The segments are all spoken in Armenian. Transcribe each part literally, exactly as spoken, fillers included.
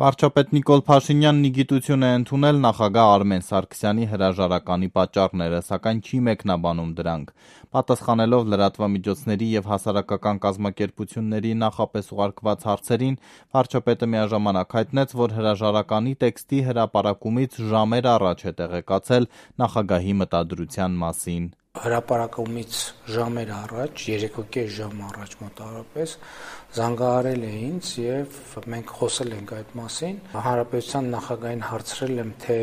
Վարչապետ Նիկոլ Փաշինյանն ի գիտություն է ընդունել նախագահ Արմեն Սարգսյանի հրաժարականի պատճառները, սակայն չի մեկնաբանում դրանք։ Պատասխանելով լրատվամիջոցների և հասարակական կազմակերպությունների նախապես ուղարկված հարցերին, վարչապետը միաժամանակ հայտնեց, որ հրաժարականի տեքստի հրապարակումից ժամեր առաջ է տեղեկացել նախագահի մտադրության մասին։ Հրապարակումից ժամեր առաջ, երեկոկես ժամ առաջ մոտավորապես զանգահարել է ինձ եւ մենք խոսել ենք այդ մասին։ Հանրապետության նախագահին հարցրել եմ, թե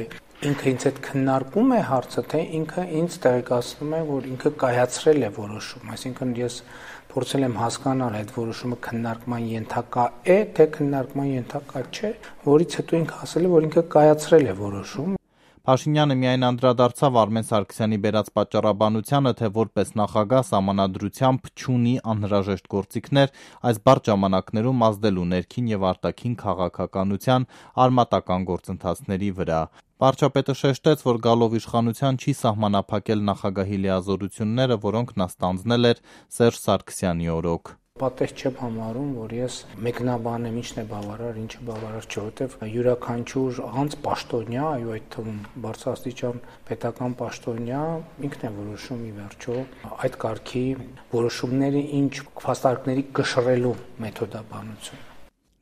ինքը ինձ հետ քննարկում է հարցը, թե ինքը ինձ տեղեկացնում է, որ ինքը կայացրել է որոշում, այսինքն ես փորձել եմ հասկանալ այդ որոշումը քննարկման ենթակա է, թե քննարկման ենթակա չէ, որից հետո ինքը ասել է, որ ինքը կայացրել է որոշում։ Փաշինյանը միայն անդրադարձավ Արմեն Սարգսյանի բերած պատճառաբանությանը, թե որպես նախագահ սահմանադրությամբ չունի անհրաժեշտ գործիքներ այս բարդ ժամանակներում ազդելու ներքին եւ արտաքին քաղաքականության արմատական գործընթացների վրա։ Վարչապետը շեշտեց, որ գալով իշխանության չի սահմանափակել նախագահի լիազորությունները, որոնք նա ստանձնել էր Սերժ Սարգսյանի օրոք։ Պատեհ չեմ համարում, որ ես մեկնաբանեմ ինչն է բավարար, ինչը բավարար չէ, որովհետև յուրաքանչյուր անձ պաշտոնյա, այո, այդ թվում բարձրաստիճան պետական պաշտոնյա ինքն է որոշում ի վերջո այդ կարգի որոշումների ինչ փաստարկների կշռելու մեթոդաբանություն։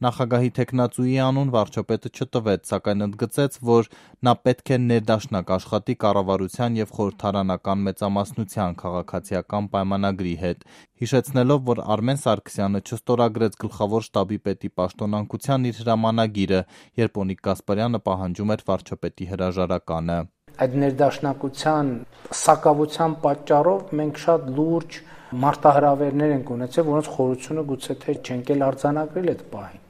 Նախագահի թեկնածուի անուն վարչապետը չտվեց, սակայն ընդգծեց, որ նա պետք է ներդաշնակ աշխատի կառավարության եւ խորհրդարանական մեծամասնության քաղաքացիական պայմանագրի հետ, հիշեցնելով, որ Արմեն Սարգսյանը չստորագրեց գլխավոր շտաբի պետի պաշտոնանկության իր հրամանագիրը, երբ Օնիկ Գասպարյանը պահանջում էր վարչապետի հրաժարականը։ Այդ ներդաշնակության սակավության պատճառով մենք շատ լուրջ մարտահրավերներ ենք ունեցել, որոնց խորությունը գուցե թե չենք էլ արձանագրել այդ պահին։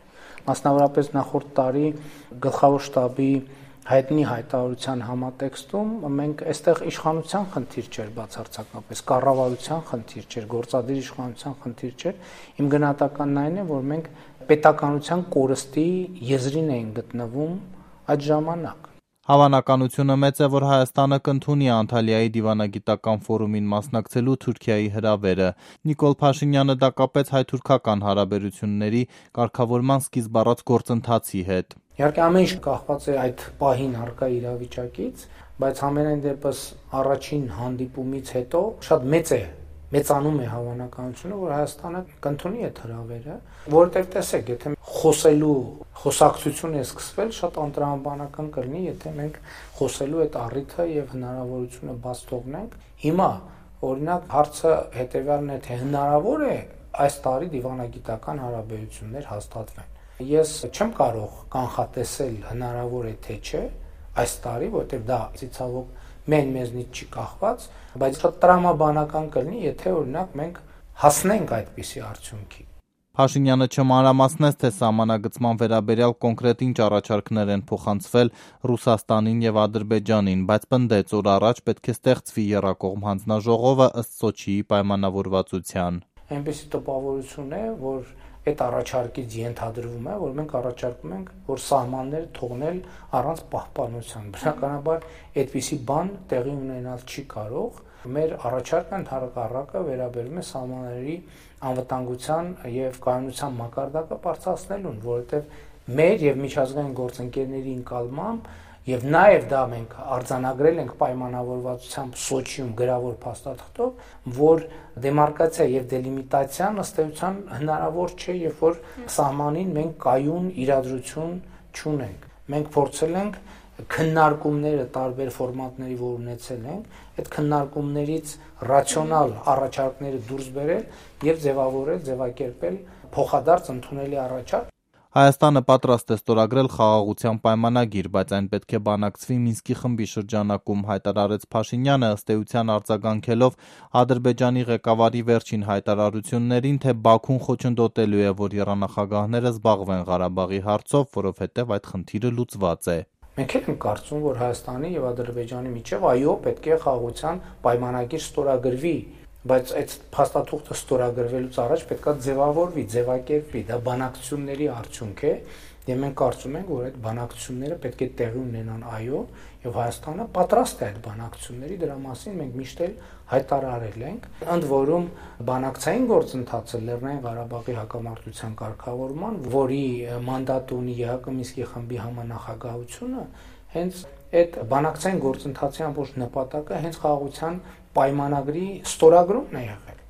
Մասնավորապես նախորդ տարի գլխավոր շտաբի հայտնի հայտարարության համատեքստում մենք այստեղ իշխանության խնդիր չէր բացարձակապես, կառավարության խնդիր չէր, գործադիր իշխանության խնդիր չէր։ Իմ գնահատականն այն է, որ մենք պետականության կորստի եզրին էին գտնվում այդ ժամանակ։ Հավանականությունը մեծ է, որ Հայաստանը կընդունի Անտալիայի դիվանագիտական ֆորումին մասնակցելու Թուրքիայի հրավերը։ Նիկոլ Փաշինյանը դա կապեց հայ-թուրքական հարաբերությունների կարգավորման սկիզբ առած գործընթացի հետ։ Իհարկե ամեն ինչ կախված է այդ պահին առկա իրավիճակից, բայց համենայն դեպս առաջին հանդիպումից հետո շատ մեծ է մեծանում է հավանականությունը, որ Հայաստանը կընդունի այդ հրավերը, որովհետև տեսեք, եթե խոսելու խոսակցություն է սկսվել, շատ անտրամաբանական կլինի, եթե մենք խոսելու այդ առիթը եւ հնարավորությունը բաց թողնենք։ Հիմա, օրինակ, հարցը հետեւյալն է, թե հնարավոր է այս տարի դիվանագիտական հարաբերություններ հաստատվեն։ Ես չեմ կարող կանխատեսել հնարավոր է թե չէ այս տարի, որովհետև դա ցավոք մեն մեզնից չի կախված, բայց շատ տրամաբանական կլինի, եթե օրինակ մենք հասնենք այդպիսի արդյունքի։ Փաշինյանը չմանրամասնեց, թե սահմանագծման վերաբերյալ կոնկրետ ինչ առաջարկներ են փոխանցվել Ռուսաստանին եւ Ադրբեջանին, բայց պնդեց, որ առաջ պետք է ստեղծվի եռակողմ հանձնաժողովը ըստ Սոչիի պայմանավորվածության։ Այնպիսի տպավորություն է, որ այդ առաջարկից ենթադրվում է, որ մենք առաջարկում ենք, որ սահմանները թողնել առանց պահպանության։ Բնականաբար այդպիսի բան տեղի ունենալ չի կարող։ Մեր առաջարկը ընդհանրակառակը վերաբերում է սահմանների անվտանգության եւ կայունության մակարդակը բարձրացնելուն, որովհետեւ մեր եւ միջազգային գործընկերների ընկալմամբ եւ նաեւ դա մենք արձանագրել ենք պայմանավորվածությամբ Սոչիում գրավոր փաստաթղթով, որ դեմարկացիա եւ դելիմիտացիան ըստ էության հնարավոր չէ, երբ որ սահմանին մենք կայուն իրադրություն չունենք։ Մենք փորձել ենք քննարկումները տարբեր ֆորմատների, որ ունեցել ենք, այդ քննարկումներից ռացիոնալ առաջարկները դուրս բերել եւ ձևավորել, ձևակերպել փոխադարձ ընդունելի առաջարկ։ Հայաստանը պատրաստ է ստորագրել խաղաղության պայմանագիր, բայց այն պետք է բանակցվի Մինսկի խմբի շրջանակում, հայտարարեց Փաշինյանը, ըստ էության արձագանքելով Ադրբեջանի ղեկավարի վերջին հայտարարություններին, թե Բաքուն խոչընդոտելու է, որ եռանախագահները զբաղվեն Ղարաբաղի հարցով, որովհետև այդ խնդիրը լուծված է։ Մենք էլ ենք կարծում, որ Հայաստանի եւ Ադրբեջանի միջեւ այո, պետք է խաղաղության պայմանագիր ստորագրվի, բայց այդ փաստաթուղթը ստորագրվելուց առաջ պետքա ձևավորվի, ձևակերպվի, դա բանակցությունների արդյունք է Եվ մենք կարծում ենք, որ այդ բանակցությունները պետք է տեղի ունենան, այո, եւ Հայաստանը պատրաստ է այդ բանակցությունների, դրա մասին մենք միշտ էլ հայտարարել ենք։ Ընդ որում բանակցային գործընթացը Լեռնային Ղարաբաղի հակամարտության կարգավորման, որի մանդատ ունի ԵՀԿ Մինսկի խմբի համանախագահությունը, հենց այդ բանակցային գործընթացի ամբողջ նպատակը հենց խաղաղության պայմանագրի ստորագրումն է եղել։